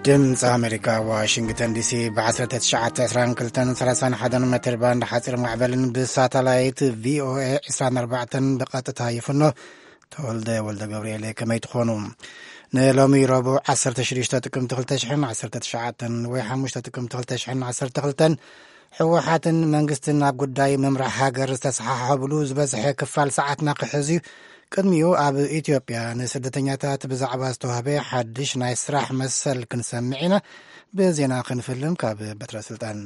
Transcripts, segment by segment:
ድምፂ ኣሜሪካ፣ ዋሽንግተን ዲሲ፣ ብ1922-31 ሜትር ባንድ ሓፂር ማዕበልን ብሳተላይት ቪኦኤ 24 ብቐጥታ ይፍኖ። ተወልደ ወልደ ገብርኤል፣ ከመይ ትኾኑ? ንሎሚ ረቡዕ 16 ጥቅምቲ 2019 ወይ 5 ጥቅምቲ 2012፣ ህወሓትን መንግስትን ኣብ ጉዳይ ምምራሕ ሃገር ዝተሰሓሓብሉ ዝበዝሐ ክፋል ሰዓትና ክሕዝ እዩ። ቅድሚኡ ኣብ ኢትዮጵያ ንስደተኛታት ብዛዕባ ዝተዋህበ ሓድሽ ናይ ስራሕ መሰል ክንሰምዕ ኢና። ብዜና ክንፍልም ካብ በትረ ስልጣን።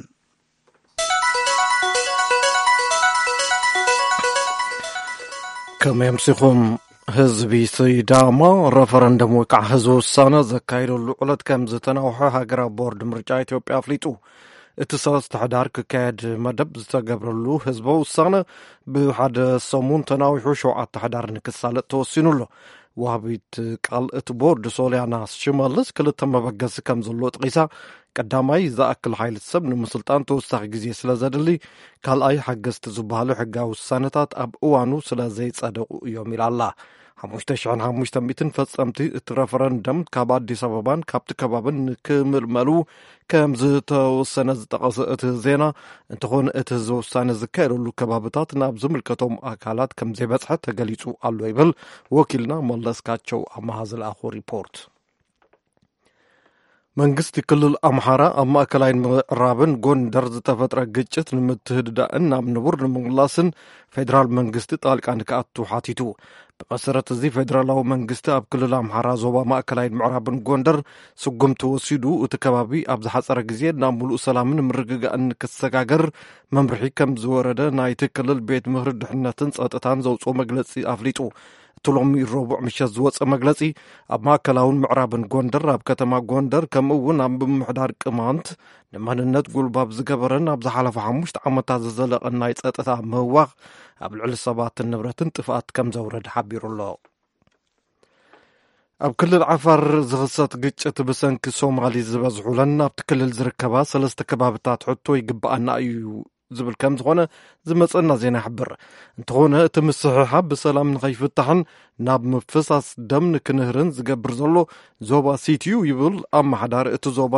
ከመይ ኣምሲኹም? ህዝቢ ሲዳማ ረፈረንደም ወይ ከዓ ህዝቢ ውሳነ ዘካየደሉ ዕለት ከም ዝተናውሐ ሃገራዊ ቦርድ ምርጫ ኢትዮጵያ ኣፍሊጡ። እቲ ሰለስተ ሕዳር ክካየድ መደብ ዝተገብረሉ ህዝቢ ውሳነ ብሓደ ሰሙን ተናዊሑ ሸውዓተ ሕዳር ንክሳለጥ ተወሲኑ ኣሎ። ዋህቢት ቃል እቲ ቦርድ ሶልያና ሽመልስ ክልተ መበገሲ ከም ዘለዎ ጥቂሳ፣ ቀዳማይ ዝኣክል ሓይሊ ሰብ ንምስልጣን ተወሳኺ ግዜ ስለ ዘድሊ፣ ካልኣይ ሓገዝቲ ዝበሃሉ ሕጋዊ ውሳነታት ኣብ እዋኑ ስለ ዘይጸደቑ እዮም ኢላ ኣላ። 5,500 ፈጸምቲ እቲ ረፈረንደም ካብ ኣዲስ ኣበባን ካብቲ ከባብን ንክምልመሉ ከም ዝተወሰነ ዝጠቐሰ እቲ ዜና፣ እንተኾነ እቲ ህዝቢ ውሳነ ዝካየደሉ ከባብታት ናብ ዝምልከቶም ኣካላት ከም ዘይበጽሐ ተገሊጹ ኣሎ ይብል ወኪልና መለስካቸው ኣመሃ ዝለኣኾ ሪፖርት። መንግስቲ ክልል ኣምሓራ ኣብ ማእከላይን ምዕራብን ጎንደር ዝተፈጥረ ግጭት ንምትህድዳእን ናብ ንቡር ንምምላስን ፌደራል መንግስቲ ጣልቃ ንክኣቱ ሓቲቱ። ብመሰረት እዚ ፌደራላዊ መንግስቲ ኣብ ክልል ኣምሓራ ዞባ ማእከላይን ምዕራብን ጎንደር ስጉምቲ ወሲዱ፣ እቲ ከባቢ ኣብ ዝሓጸረ ግዜ ናብ ምሉእ ሰላምን ምርግጋእን ንክሰጋገር መምርሒ ከም ዝወረደ ናይቲ ክልል ቤት ምኽሪ ድሕነትን ጸጥታን ዘውፅኦ መግለጺ ኣፍሊጡ። እቲ ሎሚ ረቡዕ ምሸት ዝወፀ መግለፂ፣ ኣብ ማእከላውን ምዕራብን ጎንደር፣ ኣብ ከተማ ጎንደር፣ ከምኡ እውን ኣብ ምምሕዳር ቅማንት ንመንነት ጉልባብ ዝገበረን ኣብ ዝሓለፈ ሓሙሽተ ዓመታት ዝዘለቐን ናይ ጸጥታ ምህዋኽ ኣብ ልዕሊ ሰባትን ንብረትን ጥፍኣት ከም ዘውረድ ሓቢሩ ኣሎ። ኣብ ክልል ዓፋር ዝኽሰት ግጭት ብሰንኪ ሶማሊ ዝበዝሑለን ኣብቲ ክልል ዝርከባ ሰለስተ ከባብታት ሕቶ ይግብኣና እዩ ዝብል ከም ዝኾነ ዝመጸና ዜና ይሕብር። እንተኾነ እቲ ምስሕሓብ ብሰላም ንኸይፍታሕን ናብ ምፍሳስ ደም ንክንህርን ዝገብር ዘሎ ዞባ ሲቲዩ ይብል ኣመሓዳሪ እቲ ዞባ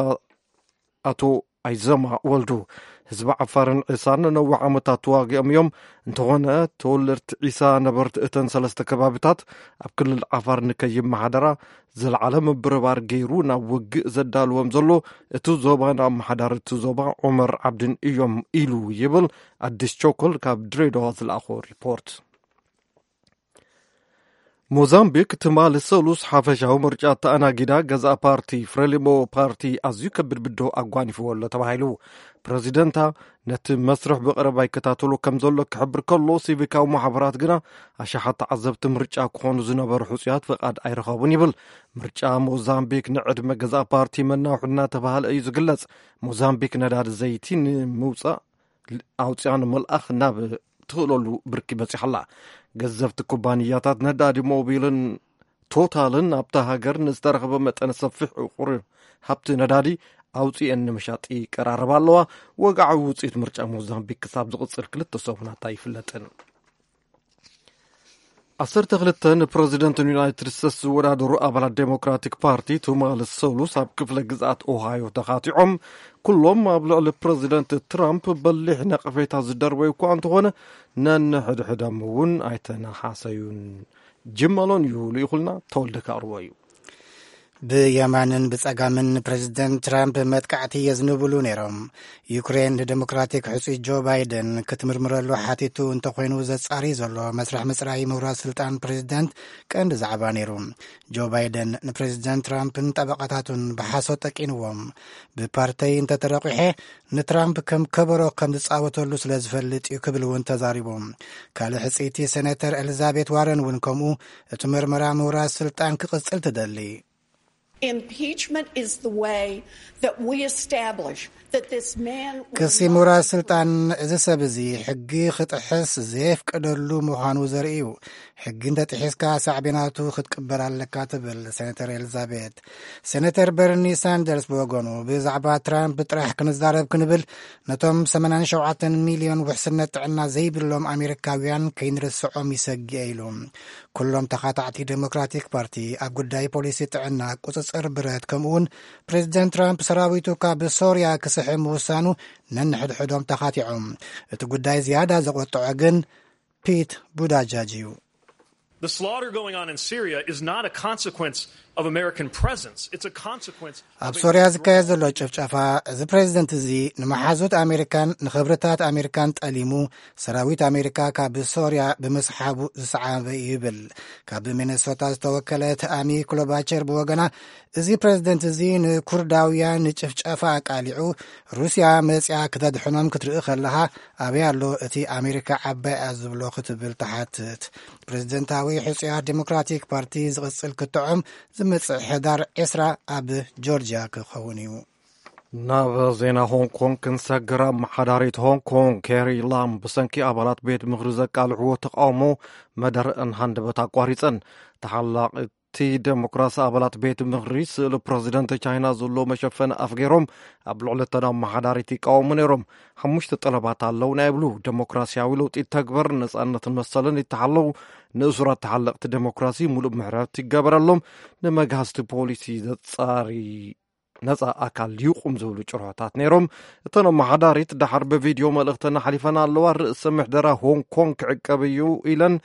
ኣቶ ኣይዘማ ወልዱ። ህዝቢ ዓፋርን ዒሳን ነነዊሕ ዓመታት ተዋጊኦም እዮም። እንተኾነ ተወለድቲ ዒሳ ነበርቲ እተን ሰለስተ ከባቢታት ኣብ ክልል ዓፋር ንከይመሓደራ ዝለዓለ ምብርባር ገይሩ ናብ ውግእ ዘዳልዎም ዘሎ እቲ ዞባ ንኣመሓዳሪ እቲ ዞባ ዑመር ዓብድን እዮም ኢሉ ይብል ኣዲስ ቾኮል ካብ ድሬዳዋ ዝለኣኾ ሪፖርት። ሞዛምቢክ ትማሊ ሰሉስ ሓፈሻዊ ምርጫ ተኣናጊዳ፣ ገዛእ ፓርቲ ፍሬሊሞ ፓርቲ ኣዝዩ ከቢድ ብድሆ ኣጓኒፍዎ ኣሎ ተባሂሉ። ፕረዚደንታ ነቲ መስርሕ ብቐረባ ይከታተሎ ከም ዘሎ ክሕብር ከሎ፣ ሲቪካዊ ማሕበራት ግና ኣሽሓት ተዓዘብቲ ምርጫ ክኾኑ ዝነበሩ ሕጹያት ፍቓድ ኣይረኸቡን ይብል። ምርጫ ሞዛምቢክ ንዕድመ ገዛእ ፓርቲ መናውሒ እናተባህለ እዩ ዝግለጽ። ሞዛምቢክ ነዳዲ ዘይቲ ንምውጻእ ኣውፅኣ ንምልኣኽ ናብ ትኽእለሉ ብርኪ በፂሓ ኣላ። ገዘፍቲ ኩባንያታት ነዳዲ ሞቢልን ቶታልን ኣብታ ሃገር ንዝተረኸበ መጠነ ሰፊሕ ዕቑር ሃብቲ ነዳዲ ኣውፅኤን ንምሻጥ ይቀራረባ ኣለዋ። ወግዓዊ ውፅኢት ምርጫ ሞዛምቢክ ክሳብ ዝቕፅል ክልተ ሰሙናት ኣይፍለጥን። 12 ንፕረዚደንት ዩናይትድ ስቴትስ ዝወዳደሩ ኣባላት ዴሞክራቲክ ፓርቲ ትማሊ ሰሉስ ኣብ ክፍለ ግዝኣት ኦሃዮ ተኻቲዖም፣ ኩሎም ኣብ ልዕሊ ፕረዚደንት ትራምፕ በሊሕ ነቐፌታ ዝደርበዩ እኳ እንተኾነ፣ ነንሕድሕዶም እውን ኣይተነሓሰዩን። ጅመሎን እዩ ልኢኹልና፣ ተወልደ ከቕርቦ እዩ። ብየማንን ብጸጋምን ንፕረዚደንት ትራምፕ መጥቃዕቲ የዝንብሉ ነይሮም። ዩክሬን ንደሞክራቲክ ሕጹይ ጆ ባይደን ክትምርምረሉ ሓቲቱ እንተኾይኑ፣ ዘጻሪ ዘሎ መስርሕ ምጽራይ ምውራድ ስልጣን ፕረዚደንት ቀንዲ ዛዕባ ነይሩ። ጆ ባይደን ንፕረዚደንት ትራምፕን ጠበቓታቱን ብሓሶት ጠቂንዎም። ብፓርተይ እንተተረቂሐ ንትራምፕ ከም ከበሮ ከም ዝጻወተሉ ስለ ዝፈልጥ እዩ ክብል እውን ተዛሪቡ። ካልእ ሕጽይቲ ሴኔተር ኤሊዛቤት ዋረን እውን ከምኡ እቲ ምርመራ ምውራድ ስልጣን ክቕጽል ትደሊ። Impeachment is the way that we establish that this man was ክሲ not ምውራድ ስልጣን፣ እዚ ሰብ እዚ ሕጊ ክጥሕስ ዘየፍቀደሉ ምዃኑ ዘርኢ እዩ። ሕጊ እንተጥሒስካ ሳዕቤናቱ ክትቅበል ኣለካ ትብል ሴኔተር ኤሊዛቤት። ሴኔተር በርኒ ሳንደርስ ብወገኑ፣ ብዛዕባ ትራምፕ ጥራሕ ክንዛረብ ክንብል ነቶም 87 ሚልዮን ውሕስነት ጥዕና ዘይብሎም ኣሜሪካውያን ከይንርስዖም ይሰግእ ኢሉ። ኩሎም ተኻታዕቲ ዴሞክራቲክ ፓርቲ ኣብ ጉዳይ ፖሊሲ ጥዕና፣ ቁጽጽር ብረት፣ ከምኡውን ፕሬዚደንት ትራምፕ ሰራዊቱ ካብ ሶርያ ክስሕብ ምውሳኑ ነንሕድሕዶም ተኻቲዖም። እቲ ጉዳይ ዝያዳ ዘቖጥዖ ግን ፒት ቡዳጃጅ እዩ። The slaughter going on in Syria is not a consequence of American presence. It's a consequence ኣብ of a ሶርያ ዝካየድ ዘሎ ጭፍጨፋ፣ እዚ ፕሬዚደንት እዚ ንመሓዙት ኣሜሪካን ንኽብርታት ኣሜሪካን ጠሊሙ፣ ሰራዊት ኣሜሪካ ካብ ሶርያ ብምስሓቡ ዝሰዓበ እዩ ይብል። ካብ ሚኔሶታ ዝተወከለት ኣሚ ክሎባቸር ብወገና፣ እዚ ፕሬዚደንት እዚ ንኩርዳውያን ንጭፍጨፋ ኣቃሊዑ፣ ሩስያ መጽያ ክተድሕኖም ክትርኢ ከለኻ፣ ኣበይ ኣሎ እቲ ኣሜሪካ ዓባይ እያ ዝብሎ ክትብል ትሓትት። ፕሬዚደንታዊ ሕጹያት ዴሞክራቲክ ፓርቲ ዝቕጽል ክትዖም ዝመጽእ ሕዳር ዕስራ ኣብ ጆርጅያ ክኸውን እዩ። ናብ ዜና ሆንግ ኮንግ ክንሰግር፣ ኣመሓዳሪት ሆንግ ኮንግ ኬሪ ላም ብሰንኪ ኣባላት ቤት ምኽሪ ዘቃልዕዎ ተቃውሞ መደረእን ሃንደበት ኣቋሪጸን። ተሓላቒ እቲ ዴሞክራሲ ኣባላት ቤት ምኽሪ ስእሊ ፕረዚደንት ቻይና ዘሎ መሸፈኒ ኣፍ ገይሮም ኣብ ልዕሊ እተን ኣመሓዳሪት ይቃወሙ ነይሮም። ሓሙሽተ ጠለባት ኣለውና ይብሉ። ዴሞክራሲያዊ ለውጢ ይተግበር፣ ነጻነትን መሰልን ይተሓለው፣ ንእሱራት ተሓለቕቲ ዴሞክራሲ ሙሉእ ምሕረት ይገበረሎም፣ ንመግሃስቲ ፖሊሲ ዘጻሪ ነጻ ኣካል ይቁም ዝብሉ ጭርሖታት ነይሮም። እተን ኣመሓዳሪት ደሓር ብቪድዮ መልእኽተን ኣሕሊፈን ኣለዋ። ርእሰ ምሕደራ ሆንግ ኮንግ ክዕቀብ እዩ ኢለን፣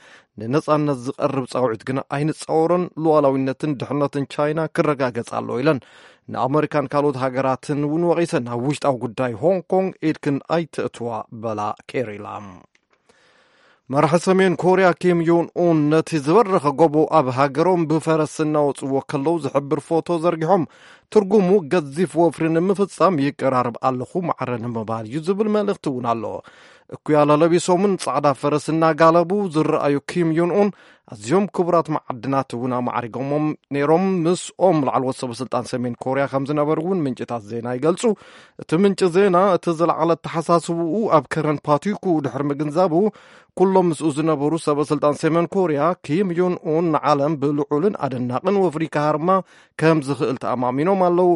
ንነጻነት ዝቐርብ ጻውዒት ግና ኣይንጻወሮን። ሉዓላዊነትን ድሕነትን ቻይና ክረጋገጽ ኣለዎ ኢለን። ንኣመሪካን ካልኦት ሃገራትን እውን ወቒሰን፣ ኣብ ውሽጣዊ ጉዳይ ሆንግ ኮንግ ኢድክን ኣይትእትዋ በላ ኬሪ ላም። መራሒ ሰሜን ኮርያ ኪም ዮን ኡን ነቲ ዝበረኸ ጎቦ ኣብ ሃገሮም ብፈረስ እናወጽዎ ከለዉ ዝሕብር ፎቶ ዘርጊሖም፣ ትርጉሙ፣ ገዚፍ ወፍሪ ንምፍጻም ይቀራርብ ኣለኹ፣ ማዕረ ንምባል እዩ ዝብል መልእኽቲ እውን ኣሎ። እኩያለ ለቢሶምን ጻዕዳ ፈረስ እናጋለቡ ዝረኣዩ ኪም ዮን ኡን፣ ኣዝዮም ክቡራት መዓድናት እውን ኣማዕሪጎሞም ነይሮም። ምስኦም ላዕለዎት ሰበ ስልጣን ሰሜን ኮርያ ከም ዝነበሩ እውን ምንጭታት ዜና ይገልጹ። እቲ ምንጪ ዜና፣ እቲ ዝለዓለ ኣተሓሳስብኡ ኣብ ከረን ፓቲኩ ድሕሪ ምግንዛቡ፣ ኩሎም ምስኡ ዝነበሩ ሰበ ስልጣን ሰሜን ኮርያ፣ ኪም ዮን ኡን ንዓለም ብልዑልን ኣደናቕን ወፍሪ ክሃርማ ከም ዝኽእል ተኣማሚኖም ኣለዉ።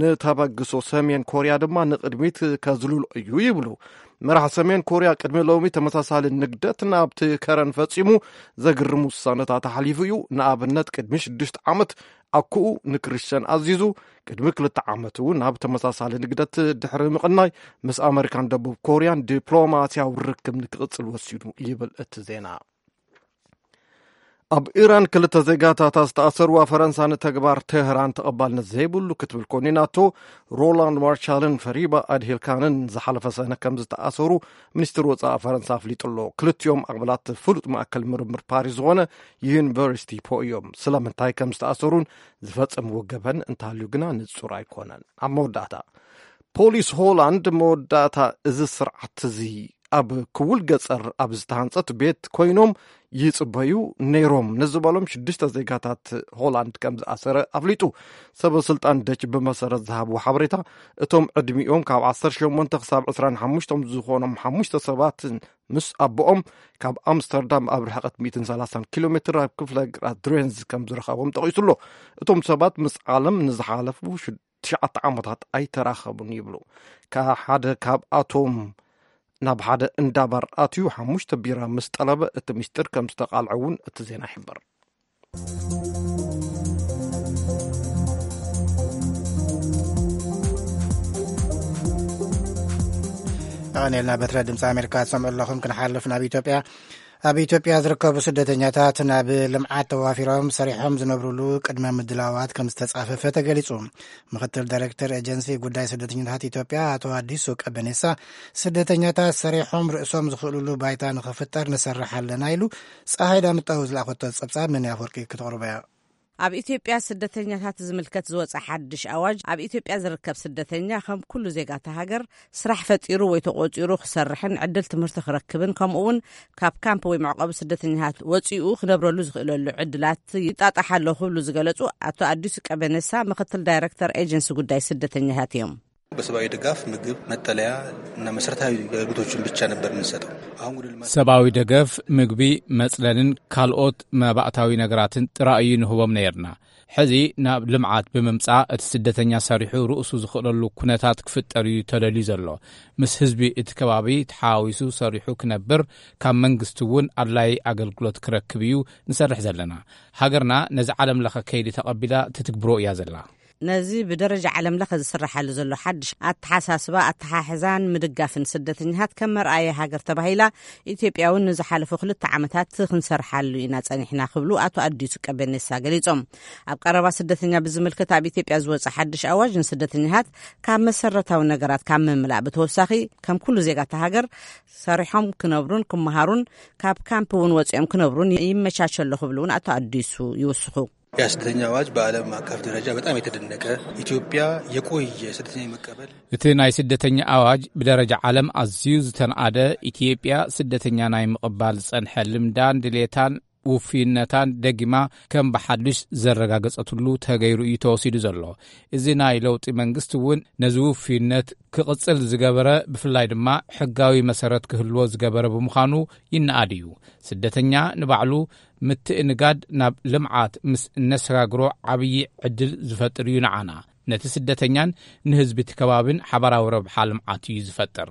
ንተበግሶ ሰሜን ኮርያ ድማ ንቕድሚት ከዝልሎ እዩ ይብሉ። መራሕ ሰሜን ኮርያ ቅድሚ ሎሚ ተመሳሳሊ ንግደት ናብቲ ከረን ፈጺሙ፣ ዘግርም ውሳነታት ኣሕሊፉ እዩ። ንኣብነት፣ ቅድሚ ሽዱሽተ ዓመት ኣኩኡ ንክርስትያን ኣዚዙ፣ ቅድሚ ክልተ ዓመት እውን ናብ ተመሳሳሊ ንግደት ድሕሪ ምቕናይ፣ ምስ ኣመሪካን ደቡብ ኮርያን ዲፕሎማስያዊ ርክብ ንክቕጽል ወሲኑ ይብል እቲ ዜና። ኣብ ኢራን ክልተ ዜጋታታ ዝተኣሰሩዋ ፈረንሳ ንተግባር ቴህራን ተቐባልነት ዘይብሉ ክትብል ኮኒናቶ። ሮላንድ ማርሻልን ፈሪባ ኣድሂልካንን ዝሓለፈ ሰነ ከም ዝተኣሰሩ ሚኒስትሪ ወጻኢ ፈረንሳ ኣፍሊጡ ኣሎ። ክልቲኦም ኣባላት ፍሉጥ ማእከል ምርምር ፓሪስ ዝኾነ ዩኒቨርሲቲ ፖ እዮም። ስለምንታይ ከም ዝተኣሰሩን ዝፈጸምዎ ገበን እንተሃልዩ ግና ንጹር ኣይኮነን። ኣብ መወዳእታ፣ ፖሊስ ሆላንድ መወዳእታ እዚ ስርዓት እዚ ኣብ ክውል ገጸር ኣብ ዝተሃንጸት ቤት ኮይኖም ይጽበዩ ነይሮም ንዝበሎም ሽዱሽተ ዜጋታት ሆላንድ ከም ዝኣሰረ ኣፍሊጡ። ሰበ ስልጣን ደች ብመሰረት ዝሃብዎ ሓበሬታ፣ እቶም ዕድሚኦም ካብ ዓሰርተ ሸሞንተ ክሳብ ዕስራን ሓሙሽተን ዝኾኖም ሓሙሽተ ሰባት ምስ ኣቦኦም ካብ ኣምስተርዳም ኣብ ርሕቐት ሚእትን ሰላሳን ኪሎ ሜትር ኣብ ክፍለ ግራት ድሬንዝ ከም ዝረኸቦም ጠቒሱ ኣሎ። እቶም ሰባት ምስ ዓለም ንዝሓለፉ ሽዱ ትሽዓተ ዓመታት ኣይተራኸቡን ይብሉ። ካብ ሓደ ካብኣቶም ናብ ሓደ እንዳ ባር ኣትዩ ሓሙሽተ ቢራ ምስ ጠለበ እቲ ምስጢር ከም ዝተቓልዐ እውን እቲ ዜና ይሕብር። ኣቐኒልና በትረ ድምፂ ኣሜሪካ ትሰምዑ ኣለኹም። ክንሓልፍ ናብ ኢትዮጵያ። ኣብ ኢትዮጵያ ዝርከቡ ስደተኛታት ናብ ልምዓት ተዋፊሮም ሰሪሖም ዝነብሩሉ ቅድመ ምድላዋት ከም ዝተጻፈፈ ተገሊጹ። ምክትል ዳይሬክተር ኤጀንሲ ጉዳይ ስደተኛታት ኢትዮጵያ ኣቶ ኣዲሱ ቀበኔሳ፣ ስደተኛታት ሰሪሖም ርእሶም ዝኽእሉሉ ባይታ ንኽፍጠር ንሰርሕ ኣለና ኢሉ። ፀሃይ ዳምጣው ዝለኣኸቶ ጸብጻብ ምን ኣፈወርቂ ክተቕርቦ እያ። ኣብ ኢትዮጵያ ስደተኛታት ዝምልከት ዝወጸ ሓድሽ ኣዋጅ፣ ኣብ ኢትዮጵያ ዝርከብ ስደተኛ ከም ኩሉ ዜጋታ ሃገር ስራሕ ፈጢሩ ወይ ተቖጺሩ ክሰርሕን ዕድል ትምህርቲ ክረክብን፣ ከምኡ እውን ካብ ካምፕ ወይ መዕቆቢ ስደተኛታት ወጺኡ ክነብረሉ ዝኽእለሉ ዕድላት ይጣጣሕ ኣሎ ክብሉ ዝገለጹ ኣቶ ኣዲሱ ቀበነሳ፣ ምክትል ዳይረክተር ኤጀንሲ ጉዳይ ስደተኛታት እዮም። በሰብአዊ ድጋፍ ምግብ፣ መጠለያ እና መሰረታዊ አገልግሎቶችን ብቻ ነበር የምንሰጠው። አሁን ወደ ልማት ሰብአዊ ደገፍ፣ ምግቢ፣ መጽለልን ካልኦት መባእታዊ ነገራትን ጥራይ እዩ ንህቦም ነይርና። ሕዚ ናብ ልምዓት ብምምጻእ እቲ ስደተኛ ሰሪሑ ርእሱ ዝኽእለሉ ኩነታት ክፍጠር እዩ ተደልዩ ዘሎ። ምስ ህዝቢ እቲ ከባቢ ተሓዋዊሱ ሰሪሑ ክነብር፣ ካብ መንግስቲ እውን ኣድላይ ኣገልግሎት ክረክብ እዩ ንሰርሕ ዘለና። ሃገርና ነዚ ዓለም ለኸ ከይዲ ተቐቢላ ትትግብሮ እያ ዘላ። ነዚ ብደረጃ ዓለም ለኸ ዝስራሓሉ ዘሎ ሓድሽ ኣተሓሳስባ ኣተሓሕዛን ምድጋፍን ስደተኛታት ከም መርኣየ ሃገር ተባሂላ ኢትዮጵያ እውን ንዝሓለፉ ክልተ ዓመታት ክንሰርሓሉ ኢና ጸኒሕና ክብሉ ኣቶ ኣዲሱ ቀቤኔሳ ገሊጾም። ኣብ ቀረባ ስደተኛ ብዝምልከት ኣብ ኢትዮጵያ ዝወጸ ሓድሽ ኣዋጅ ንስደተኛታት ካብ መሰረታዊ ነገራት ካብ ምምላእ ብተወሳኺ ከም ኩሉ ዜጋታ ሃገር ሰሪሖም ክነብሩን ክመሃሩን ካብ ካምፕ እውን ወጺኦም ክነብሩን ይመቻቸሎ ክብሉ እውን ኣቶ ኣዲሱ ይውስኹ። የስደተኛ አዋጅ በዓለም አቀፍ ደረጃ በጣም የተደነቀ፣ ኢትዮጵያ የቆየ ስደተኛ የመቀበል። እቲ ናይ ስደተኛ ኣዋጅ ብደረጃ ዓለም ኣዝዩ ዝተንኣደ፣ ኢትዮጵያ ስደተኛ ናይ ምቕባል ዝጸንሐ ልምዳን ድሌታን ውፍይነታን ደጊማ ከም ብሓድሽ ዘረጋገጸትሉ ተገይሩ እዩ ተወሲዱ ዘሎ። እዚ ናይ ለውጢ መንግስቲ እውን ነዚ ውፍይነት ክቕጽል ዝገበረ፣ ብፍላይ ድማ ሕጋዊ መሰረት ክህልዎ ዝገበረ ብምዃኑ ይነኣድ እዩ። ስደተኛ ንባዕሉ ምትእንጋድ ናብ ልምዓት ምስ እነሰጋግሮ ዓብዪ ዕድል ዝፈጥር እዩ ንዓና። ነቲ ስደተኛን ንህዝቢ እቲ ከባብን ሓባራዊ ረብሓ ልምዓት እዩ ዝፈጥር።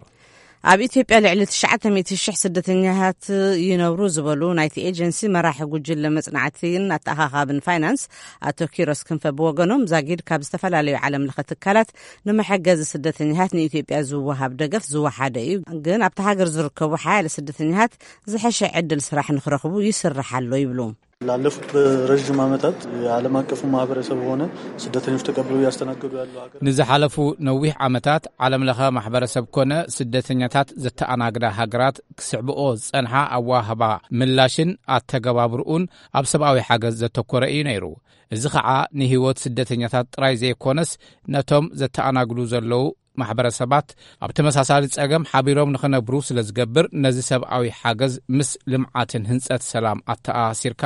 ኣብ ኢትዮጵያ ልዕሊ ትሽዓተ ሚእቲ ሽሕ ስደተኛታት ይነብሩ ዝበሉ ናይቲ ኤጀንሲ መራሒ ጉጅለ መጽናዕትን ኣተኻኻብን ፋይናንስ ኣቶ ኪሮስ ክንፈ ብወገኖም፣ ዛጊድ ካብ ዝተፈላለዩ ዓለም ለኸ ትካላት ንመሐገዚ ስደተኛታት ንኢትዮጵያ ዝወሃብ ደገፍ ዝወሓደ እዩ፣ ግን ኣብቲ ሃገር ዝርከቡ ሓያለ ስደተኛታት ዝሐሸ ዕድል ስራሕ ንክረኽቡ ይስራሕ ኣሎ ይብሉ። ላለፉት በረዥም ዓመታት የዓለም አቀፉ ማህበረሰብ ሆነ ስደተኞች ተቀብለው እያስተናገዱ ያሉ ሀገር ንዝሓለፉ ነዊሕ ዓመታት ዓለም ለኸ ማሕበረሰብ ኮነ ስደተኛታት ዘተኣናግዳ ሃገራት ክስዕብኦ ዝጸንሓ ኣዋህባ ምላሽን ኣተገባብርኡን ኣብ ሰብኣዊ ሓገዝ ዘተኮረ እዩ ነይሩ። እዚ ኸዓ ንህይወት ስደተኛታት ጥራይ ዘይኮነስ ነቶም ዘተኣናግዱ ዘለዉ ማሕበረሰባት ኣብ ተመሳሳሊ ጸገም ሓቢሮም ንኽነብሩ ስለ ዝገብር፣ ነዚ ሰብኣዊ ሓገዝ ምስ ልምዓትን ህንጸት ሰላም ኣተኣሳሲርካ፣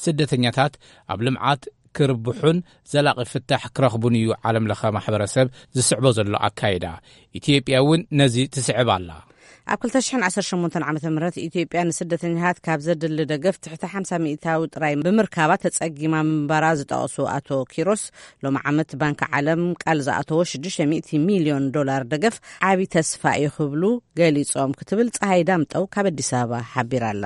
ስደተኛታት ኣብ ልምዓት ክርብሑን ዘላቒ ፍታሕ ክረኽቡን እዩ ዓለም ለኸ ማሕበረሰብ ዝስዕቦ ዘሎ ኣካይዳ። ኢትዮጵያ እውን ነዚ ትስዕብ ኣላ። ኣብ ክልተ ሽሕን ዓሰርተ ሸሞንተን ዓመተ ምህረት ኢትዮጵያ ንስደተኛታት ካብ ዘድሊ ደገፍ ትሕቲ ሓምሳ ሚእታዊ ጥራይ ብምርካባ ተጸጊማ ምንባራ ዝጠቐሱ ኣቶ ኪሮስ፣ ሎሚ ዓመት ባንኪ ዓለም ቃል ዝኣተዎ ሽዱሽተ ሚእቲ ሚልዮን ዶላር ደገፍ ዓቢ ተስፋ እዩ ክብሉ ገሊጾም ክትብል ጸሃይ ዳምጠው ካብ ኣዲስ ኣበባ ሓቢራ ኣላ።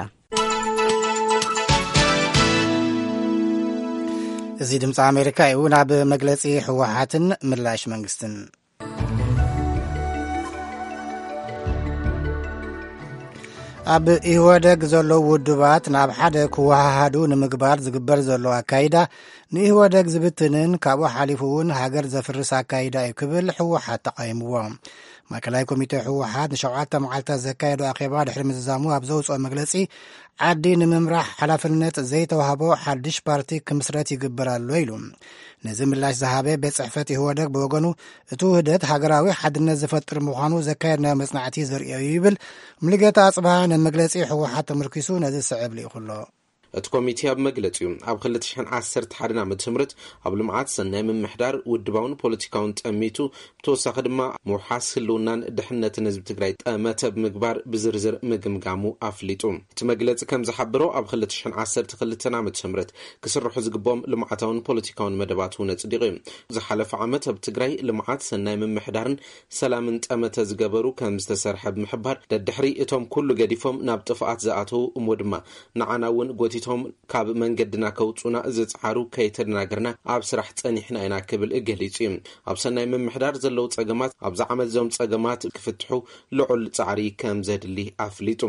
እዚ ድምፂ ኣሜሪካ እዩ። ናብ መግለፂ ህወሓትን ምላሽ መንግስትን። ኣብ ኢህወደግ ዘለዉ ውድባት ናብ ሓደ ክወሃሃዱ ንምግባር ዝግበር ዘሎ ኣካይዳ ንኢህወደግ ዝብትንን ካብኡ ሓሊፉ እውን ሃገር ዘፍርስ ኣካይዳ እዩ ክብል ህወሓት ተቃይምዎ። ማእከላይ ኮሚቴ ህወሓት ንሸውዓተ መዓልታት ዘካየዶ ኣኼባ ድሕሪ ምዝዛሙ ኣብ ዘውፅኦ መግለፂ፣ ዓዲ ንምምራሕ ሓላፍነት ዘይተዋህቦ ሓድሽ ፓርቲ ክምስረት ይግበር ኣሎ ኢሉ። ነዚ ምላሽ ዝሃበ ቤት ጽሕፈት ኢህወደግ ብወገኑ፣ እቲ ውህደት ሃገራዊ ሓድነት ዝፈጥር ምዃኑ ዘካየድናዮ መጽናዕቲ ዘርእዮ እዩ ይብል። ሙሉጌታ ኣጽብሃ ነመግለጺ ህወሓት ተመርኪሱ ነዚ ዝስዕብ ልኢኹ ኣሎ። እቲ ኮሚቴ ኣብ መግለጺኡ፣ ኣብ ክልተ ሽሕን ዓሰርተ ሓደን ዓመተ ምህረት ኣብ ልምዓት፣ ሰናይ ምምሕዳር፣ ውድባውን ፖለቲካውን ጠሚቱ፣ ብተወሳኺ ድማ ምውሓስ ህልውናን ድሕነትን ህዝቢ ትግራይ ጠመተ ብምግባር ብዝርዝር ምግምጋሙ ኣፍሊጡ። እቲ መግለጺ ከም ዝሓበሮ፣ ኣብ ክልተ ሽሕን ዓሰርተ ክልተን ዓመተ ምህረት ክስርሑ ዝግብኦም ልምዓታውን ፖለቲካውን መደባት እውን ኣጽዲቑ እዩ። ዝሓለፈ ዓመት ኣብ ትግራይ ልምዓት፣ ሰናይ ምምሕዳርን ሰላምን ጠመተ ዝገበሩ ከም ዝተሰርሐ ብምሕባር፣ ደድሕሪ እቶም ኩሉ ገዲፎም ናብ ጥፍኣት ዝኣተዉ እሞ ድማ ንዓና እውን ጎቲቶም ካብ መንገድና ከውጹና ዝጽዓሩ ከይተደናገርና ኣብ ስራሕ ጸኒሕና ኢና ክብል ገሊጹ እዩ። ኣብ ሰናይ ምምሕዳር ዘለዉ ጸገማት ኣብዚ ዓመት እዞም ጸገማት ክፍትሑ ልዑል ጻዕሪ ከም ዘድሊ ኣፍሊጡ።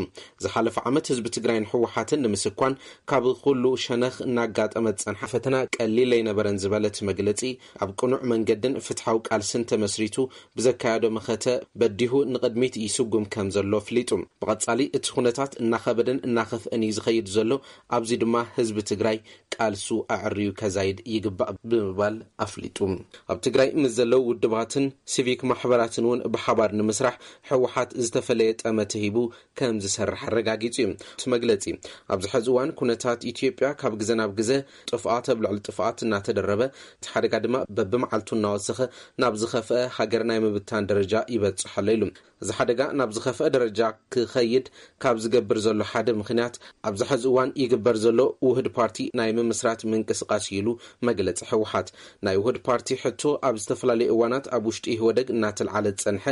ዝሓለፈ ዓመት ህዝቢ ትግራይን ህወሓትን ንምስኳን ካብ ኩሉ ሸነኽ እናጋጠመ ዝጸንሓ ፈተና ቀሊል ኣይነበረን ዝበለ እቲ መግለጺ፣ ኣብ ቅኑዕ መንገድን ፍትሓዊ ቃልስን ተመስሪቱ ብዘካየዶ መኸተ በዲሁ ንቕድሚት ይስጉም ከም ዘሎ ኣፍሊጡ። ብቐጻሊ እቲ ኩነታት እናኸበደን እናኸፍአን እዩ ዝኸይድ ዘሎ። ኣብ እዚ ድማ ህዝቢ ትግራይ ቃልሱ ኣዕርዩ ከዛይድ ይግባእ ብምባል ኣፍሊጡ። ኣብ ትግራይ ምስ ዘለዉ ውድባትን ሲቪክ ማሕበራትን እውን ብሓባር ንምስራሕ ህወሓት ዝተፈለየ ጠመተ ሂቡ ከም ዝሰርሕ ኣረጋጊጹ እዩ። እቲ መግለጺ ኣብዚ ሕዚ እዋን ኩነታት ኢትዮጵያ ካብ ግዘ ናብ ግዘ ጥፍኣት ኣብ ልዕሊ ጥፍኣት እናተደረበ፣ እቲ ሓደጋ ድማ በብመዓልቱ እናወሰኸ ናብ ዝኸፍአ ሃገር ናይ ምብታን ደረጃ ይበጽሕ ኣሎ ኢሉ። እዚ ሓደጋ ናብ ዝኸፍአ ደረጃ ክኸይድ ካብ ዝገብር ዘሎ ሓደ ምኽንያት ኣብዚ ሕዚ እዋን ይግበር ዘሎ ውህድ ፓርቲ ናይ ምምስራት ምንቅስቃስ እዩ ኢሉ መግለጺ ህወሓት። ናይ ውህድ ፓርቲ ሕቶ ኣብ ዝተፈላለዩ እዋናት ኣብ ውሽጢ ኢህወደግ እናተልዓለ ዝጸንሐ፣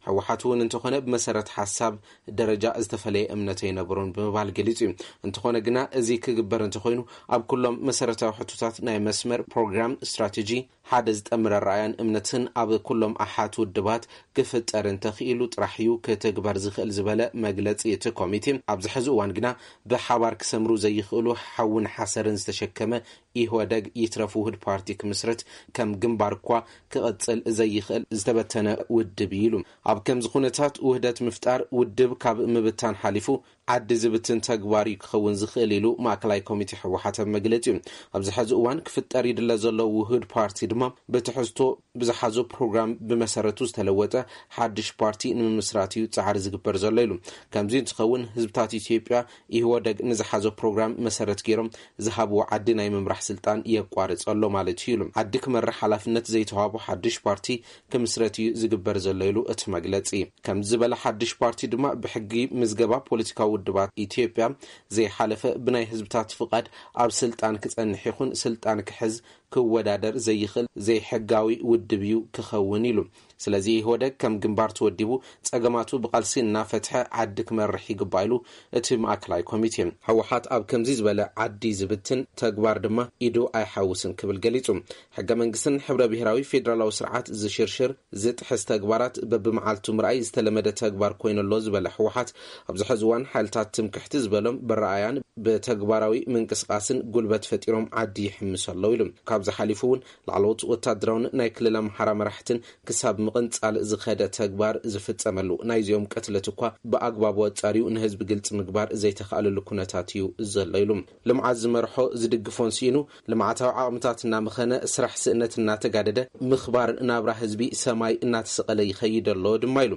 ህወሓት እውን እንተኾነ ብመሰረት ሓሳብ ደረጃ ዝተፈለየ እምነት ኣይነበሮን ብምባል ገሊጹ እዩ። እንተኾነ ግና እዚ ክግበር እንተኾይኑ ኣብ ኩሎም መሰረታዊ ሕቶታት ናይ መስመር፣ ፕሮግራም፣ ስትራቴጂ ሓደ ዝጠምረ ኣረኣያን እምነትን ኣብ ኩሎም ኣሓት ውድባት ክፍጠር እንተኽኢሉ ጥራሕ እዩ ክትግበር ዝኽእል ዝበለ መግለጺ እቲ ኮሚቴ፣ ኣብዚ ሕዚ እዋን ግና ብሓባር ክሰምሩ ዘይኽእሉ ሓውን ሓሰርን ዝተሸከመ ኢህወደግ ይትረፍ ውህድ ፓርቲ ክምስርት ከም ግንባር እኳ ክቕጽል ዘይኽእል ዝተበተነ ውድብ እዩ ኢሉ። ኣብ ከምዚ ኩነታት ውህደት ምፍጣር ውድብ ካብ ምብታን ሓሊፉ ዓዲ ዝብትን ተግባር እዩ ክኸውን ዝኽእል ኢሉ ማእከላይ ኮሚቴ ህወሓት ኣብ መግለጺኡ። ኣብዚ ሕዚ እዋን ክፍጠር ይድለ ዘሎ ውህድ ፓርቲ ድማ ብትሕዝቶ ብዝሓዞ ፕሮግራም ብመሰረቱ ዝተለወጠ ሓድሽ ፓርቲ ንምምስራት እዩ ጻዕሪ ዝግበር ዘሎ ኢሉ። ከምዚ እንትኸውን ህዝብታት ኢትዮጵያ ኢህወደግ ንዝሓዞ ፕሮግራም መሰረት ገይሮም ዝሃብዎ ዓዲ ናይ ምምራሕ ስልጣን የቋርጽ ኣሎ ማለት እዩ ኢሉ። ዓዲ ክመርሕ ሓላፍነት ዘይተዋህቦ ሓድሽ ፓርቲ ክምስረት እዩ ዝግበር ዘሎ ኢሉ እቲ መግለጺ። ከምዚ ዝበለ ሓድሽ ፓርቲ ድማ ብሕጊ ምዝገባ ፖለቲካዊ ውድባት ኢትዮጵያ ዘይሓለፈ ብናይ ህዝብታት ፍቓድ ኣብ ስልጣን ክጸንሕ ይኹን ስልጣን ክሕዝ ክወዳደር ዘይኽእል ዘይሕጋዊ ውድብ እዩ ክኸውን ኢሉ። ስለዚ ኢህወደግ ከም ግንባር ተወዲቡ ጸገማቱ ብቓልሲ እናፈትሐ ዓዲ ክመርሕ ይግባእ ኢሉ እቲ ማእከላይ ኮሚቴ። ህወሓት ኣብ ከምዚ ዝበለ ዓዲ ዝብትን ተግባር ድማ ኢዱ ኣይሓውስን ክብል ገሊጹ። ሕገ መንግስትን ሕብረ ብሔራዊ ፌደራላዊ ስርዓት ዝሽርሽር ዝጥሕስ ተግባራት በብመዓልቱ ምርኣይ ዝተለመደ ተግባር ኮይኑ ኣሎ ዝበለ ህወሓት፣ ኣብዚ ሕዚ እዋን ሓይልታት ትምክሕቲ ዝበሎም ብረኣያን ብተግባራዊ ምንቅስቃስን ጉልበት ፈጢሮም ዓዲ ይሕምሱ ኣለዉ ኢሉ። ካብዚ ሓሊፉ እውን ላዕለዎት ወታደራውን ናይ ክልል ኣምሓራ መራሕትን ክሳብ ምቕንጻል ዝኸደ ተግባር ዝፍጸመሉ፣ ናይዚኦም ቅትለት እኳ ብኣግባቡ ኣጻርዩ ንህዝቢ ግልጺ ምግባር ዘይተኻእለሉ ኩነታት እዩ ዘሎ ኢሉ። ልምዓት ዝመርሖ ዝድግፎን ስኢኑ፣ ልምዓታዊ ዓቕምታት እናመኸነ፣ ስራሕ ስእነት እናተጋደደ፣ ምኽባር ናብራ ህዝቢ ሰማይ እናተሰቐለ ይኸይድ ኣሎ ድማ ኢሉ።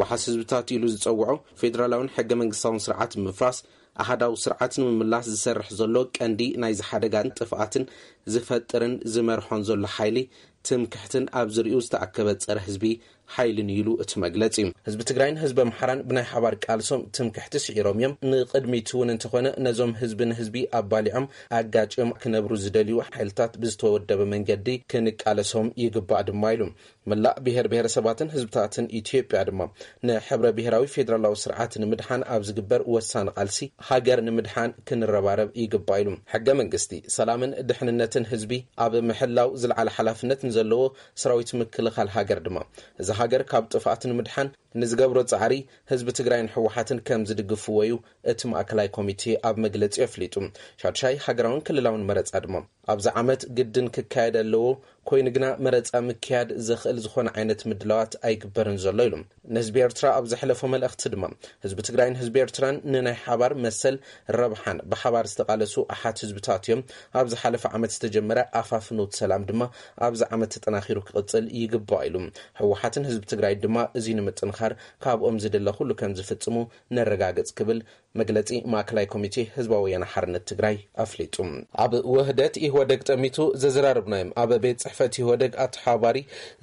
ዋሓስ ህዝብታት ኢሉ ዝጸውዖ ፌደራላውን ሕገ መንግስታውን ስርዓት ምፍራስ፣ ኣሃዳዊ ስርዓት ንምምላስ ዝሰርሕ ዘሎ ቀንዲ ናይዚ ሓደጋን ጥፍኣትን ዝፈጥርን ዝመርሖን ዘሎ ሓይሊ ትምክሕትን ኣብ ዝርኡ ዝተኣከበ ጸረ ህዝቢ ሓይልን ኢሉ እቲ መግለጺ። ህዝቢ ትግራይን ህዝቢ ኣምሓራን ብናይ ሓባር ቃልሶም ትምክሕቲ ስዒሮም እዮም። ንቕድሚት እውን እንተኾነ ነዞም ህዝቢ ንህዝቢ ኣባሊዖም ኣጋጭዮም ክነብሩ ዝደልዩ ሓይልታት ብዝተወደበ መንገዲ ክንቃለሶም ይግባእ ድማ ኢሉ። መላእ ብሔር ብሔረሰባትን ህዝብታትን ኢትዮጵያ ድማ ንሕብረ ብሔራዊ ፌደራላዊ ስርዓት ንምድሓን ኣብ ዝግበር ወሳኒ ቃልሲ ሃገር ንምድሓን ክንረባረብ ይግባእ ኢሉ። ሕገ መንግስቲ፣ ሰላምን ድሕንነትን ህዝቢ ኣብ ምሕላው ዝለዓለ ሓላፍነት ንዘለዎ ሰራዊት ምክልኻል ሃገር ድማ፣ እዚ ሃገር ካብ ጥፍኣት ንምድሓን ንዝገብሮ ጻዕሪ ህዝቢ ትግራይን ህወሓትን ከም ዝድግፍዎ እዩ እቲ ማእከላይ ኮሚቴ ኣብ መግለጺ ኣፍሊጡ። ሻድሻይ ሃገራውን ክልላውን መረጻ ድማ ኣብዚ ዓመት ግድን ክካየድ ኣለዎ፣ ኮይኑ ግና መረጻ ምክያድ ዘኽእል ዝኾነ ዓይነት ምድላዋት ኣይግበርን ዘሎ ኢሉ። ንህዝቢ ኤርትራ ኣብ ዘሕለፎ መልእኽቲ ድማ፣ ህዝቢ ትግራይን ህዝቢ ኤርትራን ንናይ ሓባር መሰል ረብሓን ብሓባር ዝተቓለሱ ኣሓት ህዝብታት እዮም። ኣብ ዝሓለፈ ዓመት ዝተጀመረ ኣፋፍኖት ሰላም ድማ ኣብዚ ዓመት ተጠናኺሩ ክቕጽል ይግባእ ኢሉ። ህወሓትን ህዝቢ ትግራይ ድማ እዚ ንምጥንኻር ካብኦም ዝድለ ኩሉ ከም ዝፍጽሙ ነረጋግጽ ክብል መግለጺ ማእከላይ ኮሚቴ ህዝባዊ ወያነ ሓርነት ትግራይ ኣፍሊጡ። ኣብ ውህደት ኢህወደግ ጠሚቱ ዘዘራርብናዮም ኣብ ቤት ጽሕፈት ኢህወደግ ኣተሓባባሪ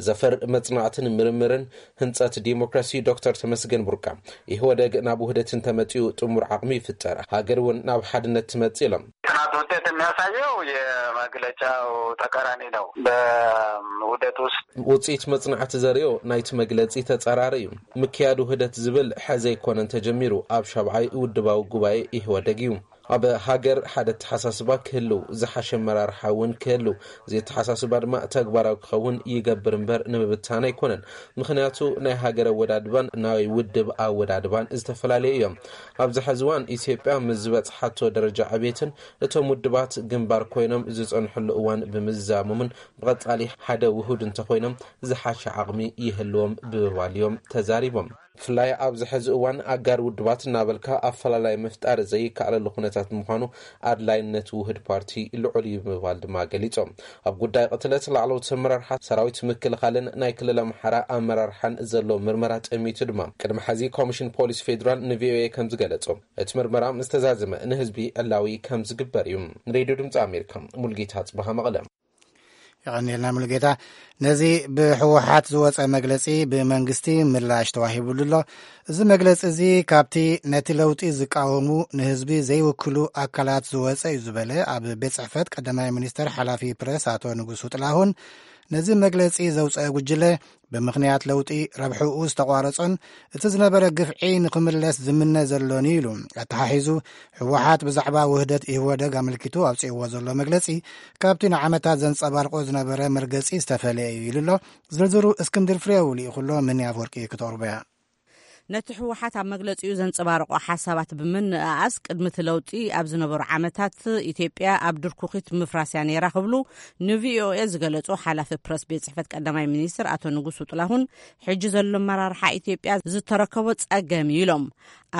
ዘፈር መጽናዕትን ምርምርን ህንጸት ዲሞክራሲ ዶክተር ተመስገን ቡርቃ፣ ኢህወደግ ናብ ውህደት እንተመጺኡ ጥሙር ዓቕሚ ይፍጠር፣ ሃገር እውን ናብ ሓድነት ትመጽእ ኢሎም። ጥናት ውጤት የሚያሳየው የመግለጫው ተቃራኒ ነው። በውህደት ውስጥ ውጽኢት መጽናዕቲ ዘርእዮ ናይቲ መግለጺ ተጻራሪ እዩ። ምክያድ ውህደት ዝብል ሐዘ ኣይኮነን ተጀሚሩ፣ ኣብ ሻብዓይ ውድባዊ ጉባኤ ኢህወደግ እዩ። ኣብ ሃገር ሓደ ኣተሓሳስባ ክህልው፣ ዝሓሸ ኣመራርሓ እውን ክህልው፣ እዚ ኣተሓሳስባ ድማ ተግባራዊ ክኸውን ይገብር እምበር ንምብታን ኣይኮነን። ምኽንያቱ ናይ ሃገር ኣወዳድባን ናይ ውድብ ኣወዳድባን ዝተፈላለዩ እዮም። ኣብዚ ሕዚ እዋን ኢትዮጵያ ምስ ዝበጽሓቶ ደረጃ ዕቤትን እቶም ውድባት ግንባር ኮይኖም ዝጸንሕሉ እዋን ብምዝዛሞምን ብቐጻሊ ሓደ ውሁድ እንተኾይኖም ዝሓሸ ዓቕሚ ይህልዎም ብምባል እዮም ተዛሪቦም። ብፍላይ ኣብዚ ሕዚ እዋን ኣጋር ውድባት እናበልካ ኣፈላላይ ምፍጣር ዘይከኣለሉ ኩነታት ብምዃኑ ኣድላይነት ውህድ ፓርቲ ልዑል እዩ ብምባል ድማ ገሊጾም። ኣብ ጉዳይ ቅትለት ላዕለዎት ኣመራርሓ ሰራዊት ምክልኻልን ናይ ክልል ኣምሓራ ኣመራርሓን ዘሎ ምርመራ ጠሚቱ ድማ ቅድሚ ሕዚ ኮሚሽን ፖሊስ ፌዴራል ንቪኦኤ ከም ዝገለጾ፣ እቲ ምርመራ ምስ ተዛዘመ ንህዝቢ ዕላዊ ከም ዝግበር እዩ። ንሬድዮ ድምፂ ኣሜሪካ፣ ሙልጌታ ጽበሃ፣ መቐለ። የቐኒልና ሙሉጌታ። ነዚ ብህወሓት ዝወፀ መግለፂ ብመንግስቲ ምላሽ ተዋሂቡሉ ኣሎ። እዚ መግለፂ እዚ ካብቲ ነቲ ለውጢ ዝቃወሙ ንህዝቢ ዘይውክሉ ኣካላት ዝወፀ እዩ ዝበለ ኣብ ቤት ፅሕፈት ቀዳማይ ሚኒስተር ሓላፊ ፕረስ ኣቶ ንጉሱ ጥላሁን፣ ነዚ መግለፂ ዘውፀአ ጉጅለ ብምኽንያት ለውጢ ረብሕኡ ዝተቋረጾን እቲ ዝነበረ ግፍዒ ንኽምለስ ዝምነ ዘሎን ኢሉ ኣተሓሒዙ። ህወሓት ብዛዕባ ውህደት ኢህወደግ ኣመልኪቱ ኣውፅእዎ ዘሎ መግለፂ ካብቲ ንዓመታት ዘንፀባርቆ ዝነበረ መርገፂ ዝተፈለየ እዩ ኢሉ ኣሎ። ዝርዝሩ እስክንድር ፍሬው ልኢኹሎ፣ ምን ኣፍወርቂ ክተቕርቦያ። ነቲ ህወሓት ኣብ መግለፂኡ ዘንፀባረቆ ሓሳባት ብምንእኣስ፣ ቅድሚ እቲ ለውጢ ኣብ ዝነበሩ ዓመታት ኢትዮጵያ ኣብ ድርኩኺት ምፍራስ እያ ነይራ ክብሉ ንቪኦኤ ዝገለጹ ሓላፊ ፕረስ ቤት ጽሕፈት ቀዳማይ ሚኒስትር ኣቶ ንጉሱ ጥላሁን፣ ሕጂ ዘሎ ኣመራርሓ ኢትዮጵያ ዝተረከቦ ጸገም እዩ ኢሎም።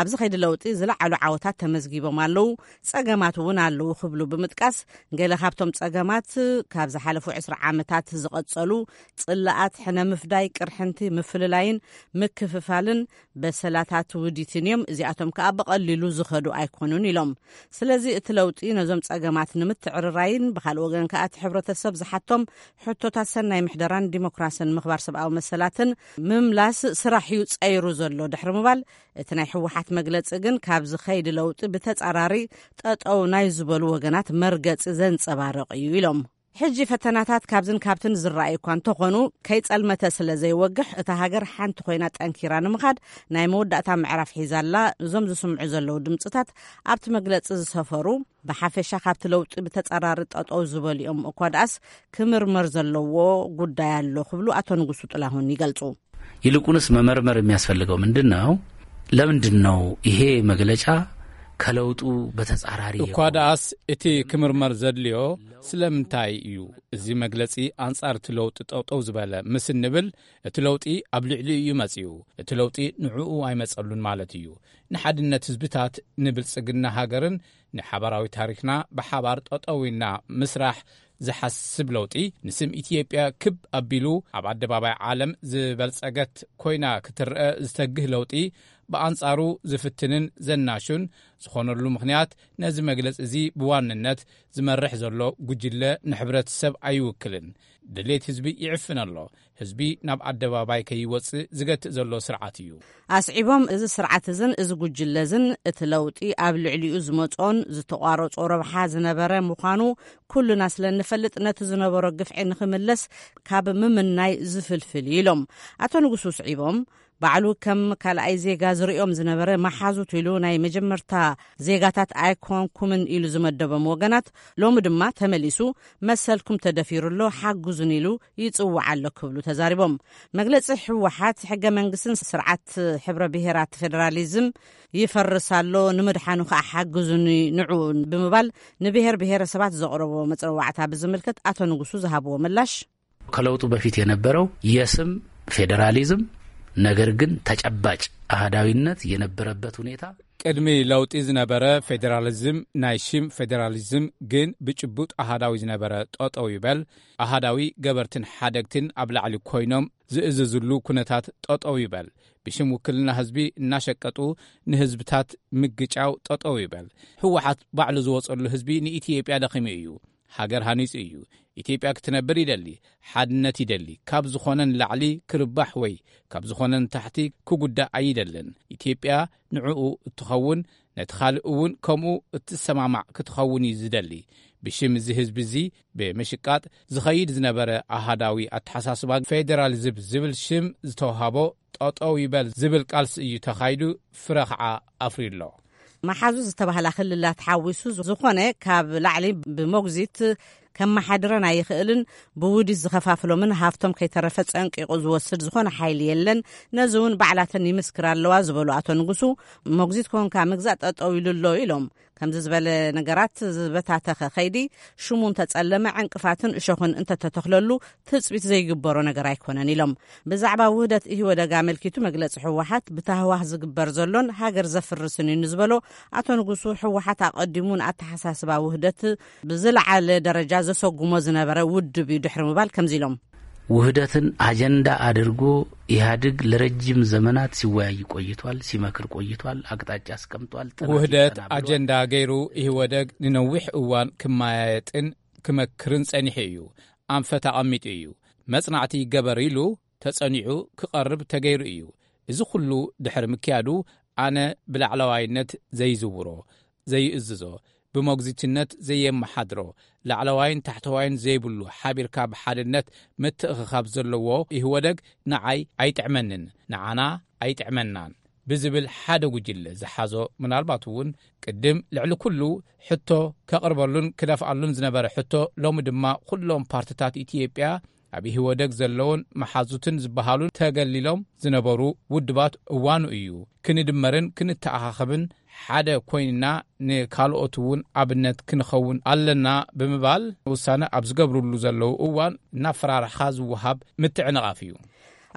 ኣብዚ ከይዲ ለውጢ ዝለዓሉ ዓወታት ተመዝጊቦም ኣለዉ፣ ጸገማት እውን ኣለዉ ክብሉ ብምጥቃስ፣ ገለ ካብቶም ጸገማት ካብ ዝሓለፉ ዕስራ ዓመታት ዝቐጸሉ ጽላኣት፣ ሕነ ምፍዳይ፣ ቅርሕንቲ፣ ምፍልላይን ምክፍፋልን በሰላታት ውዲትን እዮም። እዚኣቶም ከኣ ብቐሊሉ ዝኸዱ ኣይኮኑን ኢሎም። ስለዚ እቲ ለውጢ ነዞም ጸገማት ንምትዕርራይን ብኻልእ ወገን ከኣ እቲ ሕብረተሰብ ዝሓቶም ሕቶታት ሰናይ ምሕደራን ዲሞክራስን ምኽባር ሰብኣዊ መሰላትን ምምላስ ስራሕ እዩ ጸይሩ ዘሎ ድሕሪ ምባል፣ እቲ ናይ ህወሓት መግለጺ ግን ካብዚ ከይዲ ለውጢ ብተጻራሪ ጠጠው ናይ ዝበሉ ወገናት መርገጺ ዘንጸባርቕ እዩ ኢሎም። ሕጂ ፈተናታት ካብዝን ካብትን ዝረኣዩ እኳ እንተኾኑ፣ ከይጸልመተ ስለ ዘይወግሕ፣ እታ ሃገር ሓንቲ ኮይና ጠንኪራ ንምኻድ ናይ መወዳእታ ምዕራፍ ሒዛ ኣላ። እዞም ዝስምዑ ዘለዉ ድምጽታት ኣብቲ መግለጺ ዝሰፈሩ፣ ብሓፈሻ ካብቲ ለውጢ ብተጻራሪ ጠጠው ዝበሉ እዮም። እኳ ደኣስ ክምርመር ዘለዎ ጉዳይ ኣሎ ክብሉ ኣቶ ንጉሱ ጥላሁን ይገልጹ። ይልቁንስ መመርመር የሚያስፈልገው ምንድን ነው? ለምንድን ነው ይሄ መግለጫ ከለውጡ በተጻራሪ እኳ ደኣስ እቲ ክምርመር ዘድልዮ ስለምንታይ እዩ? እዚ መግለጺ ኣንጻር እቲ ለውጢ ጠውጠው ዝበለ ምስ እንብል፣ እቲ ለውጢ ኣብ ልዕሊኡ እዩ መጺኡ። እቲ ለውጢ ንዕኡ ኣይመጸሉን ማለት እዩ። ንሓድነት ህዝብታት፣ ንብልጽግና ሃገርን ንሓባራዊ ታሪኽና ብሓባር ጠጠው ኢልና ምስራሕ ዝሓስብ ለውጢ፣ ንስም ኢትዮጵያ ክብ ኣቢሉ ኣብ ኣደባባይ ዓለም ዝበልጸገት ኮይና ክትረአ ዝተግህ ለውጢ፣ ብኣንጻሩ ዝፍትንን ዘናሹን ዝኾነሉ ምኽንያት፣ ነዚ መግለጺ እዚ ብዋንነት ዝመርሕ ዘሎ ጉጅለ ንሕብረተሰብ ኣይውክልን። ድሌት ህዝቢ ይዕፍን ኣሎ። ህዝቢ ናብ ኣደባባይ ከይወጽእ ዝገትእ ዘሎ ስርዓት እዩ። ኣስዒቦም፣ እዚ ስርዓት እዝን እዚ ጉጅለ እዝን እቲ ለውጢ ኣብ ልዕሊኡ ዝመጾን ዝተቋረጾ ረብሓ ዝነበረ ምዃኑ ኩልና ስለ እንፈልጥ፣ ነቲ ዝነበሮ ግፍዒ ንኽምለስ ካብ ምምናይ ዝፍልፍል እዩ ኢሎም። ኣቶ ንጉሱ ስዒቦም፣ ባዕሉ ከም ካልኣይ ዜጋ ዝርእዮም ዝነበረ መሓዙት ኢሉ ናይ መጀመርታ ዜጋታት ኣይኮንኩምን ኢሉ ዝመደቦም ወገናት፣ ሎሚ ድማ ተመሊሱ መሰልኩም ተደፊሩ ኣሎ፣ ሓግዙን ኢሉ ይጽውዕ ኣሎ ክብሉ ተዛሪቦም። መግለጺ ህወሓት፣ ሕገ መንግስትን ስርዓት ሕብረ ብሄራት ፌደራሊዝም ይፈርስ ኣሎ፣ ንምድሓኑ ከኣ ሓግዙኒ ንዑ ብምባል ንብሄር ብሄረሰባት ዘቕረቦ መጽዋዕታ ብዝምልከት ኣቶ ንጉሱ ዝሃብዎ ምላሽ፣ ከለውጡ በፊት የነበረው የስም ፌዴራሊዝም፣ ነገር ግን ተጨባጭ አህዳዊነት የነበረበት ሁኔታ፣ ቅድሚ ለውጢ ዝነበረ ፌዴራሊዝም፣ ናይ ሽም ፌዴራሊዝም ግን ብጭቡጥ ኣሃዳዊ ዝነበረ ጠጠው ይበል፣ ኣሃዳዊ ገበርትን ሓደግትን ኣብ ላዕሊ ኮይኖም ዝእዘዝሉ ኩነታት ጠጠው ይበል፣ ብሽም ውክልና ህዝቢ እናሸቀጡ ንህዝብታት ምግጫው ጠጠው ይበል። ህወሓት ባዕሉ ዝወፀሉ ህዝቢ ንኢትዮጵያ ደኺሙ እዩ። ሃገር ሃኒጹ እዩ። ኢትዮጵያ ክትነብር ይደሊ፣ ሓድነት ይደሊ። ካብ ዝኾነ ንላዕሊ ክርባሕ ወይ ካብ ዝኾነ ንታሕቲ ክጉዳእ ኣይደልን። ኢትዮጵያ ንዕኡ እትኸውን፣ ነቲ ካልእ እውን ከምኡ እትሰማማዕ ክትኸውን እዩ ዝደሊ። ብሽም እዚ ህዝቢ እዚ ብምሽቃጥ ዝኸይድ ዝነበረ ኣሃዳዊ ኣተሓሳስባ፣ ፌደራሊዝም ዝብል ሽም ዝተውሃቦ፣ ጠጠው ይበል ዝብል ቃልሲ እዩ ተኻይዱ፣ ፍረ ከዓ ኣፍርዩ ኣሎ። መሓዙ ዝተባህላ ክልላት ሓዊሱ፣ ዝኾነ ካብ ላዕሊ ብሞግዚት ከመሓድረን ኣይኽእልን፣ ብውዲት ዝኸፋፍሎምን ሃፍቶም ከይተረፈ ጸንቂቑ ዝወስድ ዝኾነ ሓይሊ የለን፣ ነዚ እውን ባዕላተን ይምስክራ ኣለዋ ዝበሉ ኣቶ ንጉሱ፣ ሞግዚት ኮንካ ምግዛእ ጠጠው ኢሉ ኣሎ ኢሎም። ከምዚ ዝበለ ነገራት ዝበታተኸ ከይዲ ሽሙ እንተጸለመ ዕንቅፋትን እሾኽን እንተተተኽለሉ ትጽቢት ዘይግበሮ ነገር ኣይኮነን ኢሎም። ብዛዕባ ውህደት ኢህወደግ ኣመልኪቱ መግለጺ ህወሓት ብታህዋህ ዝግበር ዘሎን ሃገር ዘፍርስን እዩ ንዝበሎ ኣቶ ንጉሱ፣ ህወሓት ኣቐዲሙ ንኣተሓሳስባ ውህደት ብዝለዓለ ደረጃ ዘሰጉሞ ዝነበረ ውድብ እዩ ድሕሪ ምባል ከምዚ ኢሎም። ውህደትን አጀንዳ አድርጎ ኢህአዴግ ለረጅም ዘመናት ሲወያይ ቆይቷል፣ ሲመክር ቆይቷል፣ አቅጣጫ አስቀምጧል፣ ጥናት ውህደት ይጠና ብሏል። አጀንዳ ገይሩ ኢህወደግ ንነዊሕ እዋን ክመያየጥን ክመክርን ጸኒሑ እዩ። ኣንፈት ኣቐሚጡ እዩ። መጽናዕቲ ይገበር ኢሉ ተጸኒዑ ክቐርብ ተገይሩ እዩ። እዚ ኩሉ ድሕሪ ምክያዱ ኣነ ብላዕለዋይነት ዘይዝውሮ፣ ዘይእዝዞ፣ ብሞግዚትነት ዘየመሓድሮ፣ ላዕለዋይን ታሕተዋይን ዘይብሉ፣ ሓቢርካ ብሓድነት ምትእኽኻብ ዘለዎ ኢህወደግ ንዓይ ኣይጥዕመንን፣ ንዓና ኣይጥዕመናን ብዝብል ሓደ ጉጅለ ዝሓዞ፣ ምናልባት እውን ቅድም ልዕሊ ኩሉ ሕቶ ከቕርበሉን ክደፍኣሉን ዝነበረ ሕቶ፣ ሎሚ ድማ ኩሎም ፓርትታት ኢትዮጵያ ኣብ ኢህወደግ ዘለውን መሓዙትን ዝበሃሉን ተገሊሎም ዝነበሩ ውድባት እዋኑ እዩ። ክንድመርን ክንተኣኻኸብን ሓደ ኮይንና ንካልኦት እውን ኣብነት ክንኸውን ኣለና ብምባል ውሳነ ኣብ ዝገብሩሉ ዘለዉ እዋን እናፈራርሕኻ ዝወሃብ ምትዕንቓፍ እዩ።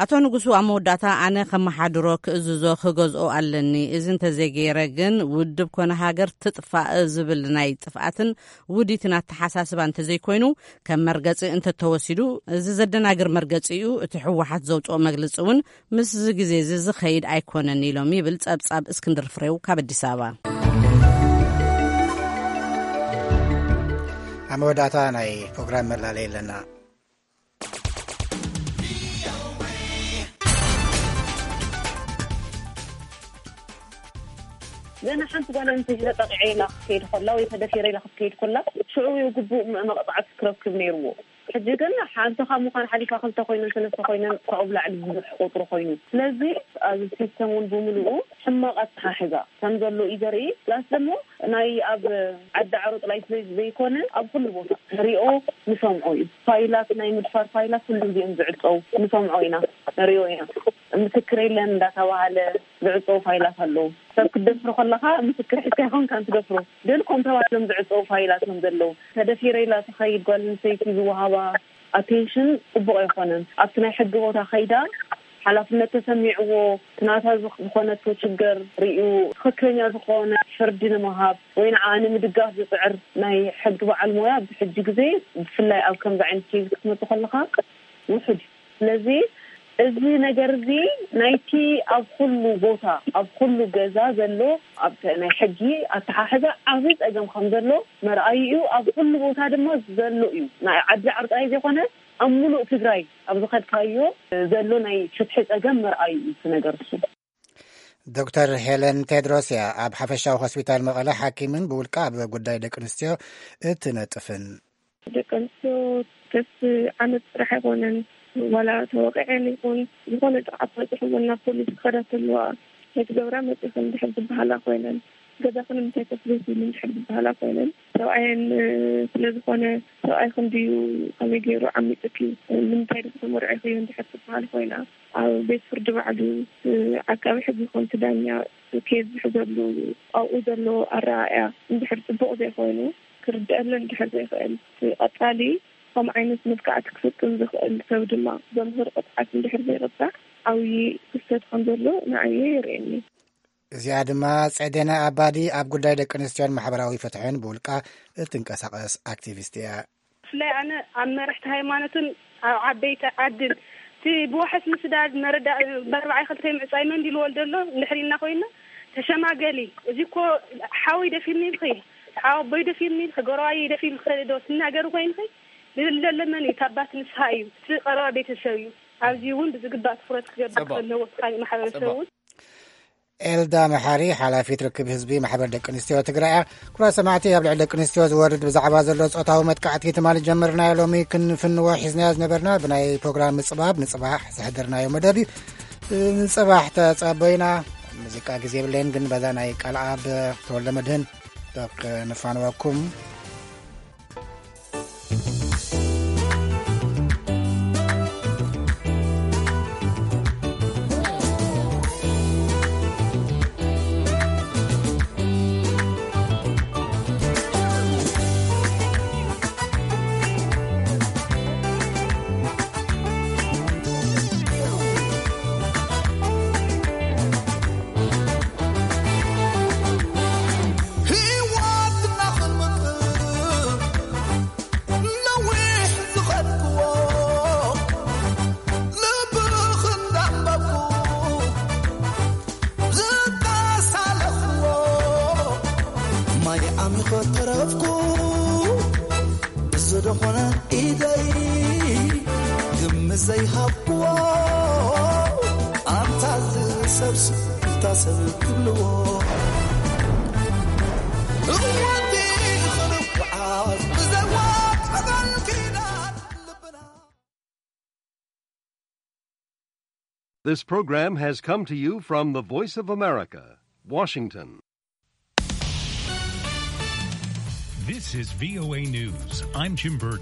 ኣቶ ንጉሱ ኣብ መወዳእታ፣ ኣነ ከመሓድሮ፣ ክእዝዞ፣ ክገዝኦ ኣለኒ። እዚ እንተዘይገይረ ግን ውድብ ኮነ ሃገር ትጥፋእ ዝብል ናይ ጥፍኣትን ውዲትን ኣተሓሳስባ እንተዘይኮይኑ፣ ከም መርገጺ እንተተወሲዱ፣ እዚ ዘደናግር መርገጺ እዩ። እቲ ህወሓት ዘውፅኦ መግለፂ እውን ምስዚ ግዜ እዚ ዝኸይድ ኣይኮነን ኢሎም ይብል ጸብጻብ እስክንድር ፍሬው ካብ ኣዲስ ኣበባ። ኣብ መወዳእታ ናይ ፕሮግራም መላለይ ኣለና። ገና ሓንቲ ጓል ኣንስተይቲ ተጠቂዐ ኢላ ክትከይድ ከላ ወይ ተደፊረ ኢላ ክትከይድ ከላ ሽዑ እዩ ግቡእ መ-፣ መቕጻዕቲ ክረክብ ነይርዎ። ሕጂ ግን ሓንቲ ካብ ምዃን ሓሊፋ ክልተ ኮይነን ሰለስተ ኮይነን ካብኡ ብላዕሊ ብዙሕ ቁጽሪ ኮይኑ። ስለዚ ኣብዚ ሲስተም እውን ብምልኡ ሕማቕ ኣተሓሕዛ ከም ዘሎ እዩ ዘርኢ። ፕላስ ደግሞ ናይ ኣብ ዓዲ ዓሮ ጥራይ ስለ ዘይኮነ ኣብ ኩሉ ቦታ ንሪኦ ንሰምዖ እዩ። ፋይላት፣ ናይ ምድፋር ፋይላት ኩሉ ግዜ እዮም ዝዕጸው፣ ንሰምዖ ኢና፣ ንሪኦ ኢና። ምስክር የለን እንዳተባሃለ ዝዕጸው ፋይላት ኣለዉ። ሰብ ክትደፍሮ ከለኻ ምስክር ሒዝካ ይኾንካ እንትደፍሮ፣ ግን ኮም ተባሂሎም ዝዕጸው ፋይላት እዮም ዘለዉ። ተደፊረ ኢላ ትኸይድ ጓል ኣንስተይቲ ዝወሃባ ኣቴንሽን ጽቡቕ ኣይኮነን። ኣብቲ ናይ ሕጊ ቦታ ከይዳ ሓላፍነት ተሰሚዕዎ፣ እቲ ናታ ዝኽ-፣ ዝኾነቶ ችግር ርእዩ ትኽክለኛ ዝኾነ ፍርዲ ንምሃብ ወይ ንዓ ንምድጋፍ ዝጽዕር ናይ ሕጊ በዓል ሞያ ኣብዚ ሕጂ ግዜ ብፍላይ ኣብ ከምዚ ዓይነት ኬዝ ክትመጽእ ከለኻ ውሑድ እዩ። ስለዚ እዚ ነገር እዚ ናይቲ ኣብ ኩሉ ቦታ፣ ኣብ ኩሉ ገዛ ዘሎ፣ ኣብ ናይ ሕጊ ኣተሓሕዛ ዓብዪ ጸገም ከም ዘሎ መርኣዩ እዩ። ኣብ ኩሉ ቦታ ድማ ዘሎ እዩ። ናይ ዓዲ ዓርቃይ ዘይኮነ ኣብ ሙሉእ ትግራይ ኣብ ዝኸድካዮ ዘሎ ናይ ፍትሒ ጸገም መርኣዩ እዩ እቲ ነገር እሱ። ዶክተር ሄለን ቴድሮስ እያ፣ ኣብ ሓፈሻዊ ሆስፒታል መቐለ ሓኪምን ብውልቃ ኣብ ጉዳይ ደቂ ኣንስትዮ እትነጥፍን። ደቂ ኣንስትዮ ከስ ዓመት ጥራሕ ኣይኮነን፣ ዋላ ተወቂዐን ይኹን ዝኾነ ጥቕዓት በፂሕወን ናብ ፖሊስ ክኸዳ ተለዋ፣ "ከይትገብራ መፂኽን?" ድሕር ዝበሃላ ኮይነን፣ "ገዛኽን ንምንታይ ከፍልስ?" ኢሉ ድሕር ዝበሃላ ኮይነን፣ ሰብኣየን ስለ ዝኾነ፣ "ሰብኣይኽን ድዩ ከመይ ገይሩ ዓሚፅኪ? ንምንታይ ድሕር ተመርዒኽዮ?" ድሕር ዝበሃል ኮይና፣ ኣብ ቤት ፍርዲ ባዕሉ ዓቃቢ ሕጊ ይኹን እቲ ዳኛ ኬዝ ዝሕዘሉ ኣብኡ ዘሎ ኣረኣእያ እንድሕር ፅቡቕ ዘይኮይኑ፣ ክርድአለን እንድሕር ዘይኽእል፣ እቲ ቀፃሊ ከም ዓይነት መጥቃዕቲ ክፍፅም ዝኽእል ሰብ ድማ ዘምህር ቅፅዓት እንድሕር ዘይቕፃዕ ዓብዪ ክፍተት ከም ዘሎ ንዓየ የርእየኒ። እዚኣ ድማ ጸደነ ኣባዲ ኣብ ጉዳይ ደቂ ኣንስትዮን ማሕበራዊ ፍትሕን ብውልቃ እትንቀሳቐስ ኣክቲቪስት እያ። ብፍላይ ኣነ ኣብ መራሕቲ ሃይማኖትን ኣብ ዓበይቲ ዓድን እቲ ብዋሕስ ምስዳድ መረዳ-፣ በርባዓይ ክልተ ምዕጻይ መን ድዩ ዝወልዶ ኣሎ እንድሕር ኢልና ኮይንና፣ ተሸማገሊ፣ እዚ እኮ ሓወይ ደፊርኒ ኢልኺ፣ ሓወቦይ ደፊርኒ ኢልኺ፣ ጎረባየይ ደፊሩ ኢልኺ ዶ ትናገሪ ኮይንኺ፣ ዝብል ዘሎ መን እዩ? እታ ኣባት ንስኻ እዩ፣ እቲ ቀረባ ቤተሰብ እዩ። ኣብዚ እውን ብዝግባእ ትኹረት ክገብር ጽቡቕ። ክህልዎ እቲ ካሊእ ማሕበረሰብ ጽቡቕ። እውን። ኤልዳ መሓሪ፣ ሓላፊት ርክብ ህዝቢ ማሕበር ደቂ ኣንስትዮ ትግራይ እያ። ክቡራት ሰማዕቲ፣ ኣብ ልዕሊ ደቂ ኣንስትዮ ዝወርድ ብዛዕባ ዘሎ ጾታዊ መጥቃዕቲ ትማሊ ጀመርናዮ፣ ሎሚ ክንፍንዎ ሒዝናዮ ዝነበርና ብናይ ፕሮግራም ምጽባብ ንጽባሕ ዝሕደርናዮ መደብ እዩ። ንጽባሕ ተጸበዩና። ሙዚቃ ግዜ የብለይን፣ ግን በዛ ናይ ቃልኣብ ተወልደ መድህን ዶ ክንፋንወኩም። ዝኾነ ኢደይ ግምት ዘይሃብክዎ ኣንታ ዝሰብስ እንታ ሰብ ክብልዎ እወቲ ዝኾነ ጓዓዝ ብዘዋ ቀዳል ኪዳን ልብና This program has come to you from the Voice of America, Washington. This is V O A News. I'm Jim Burton.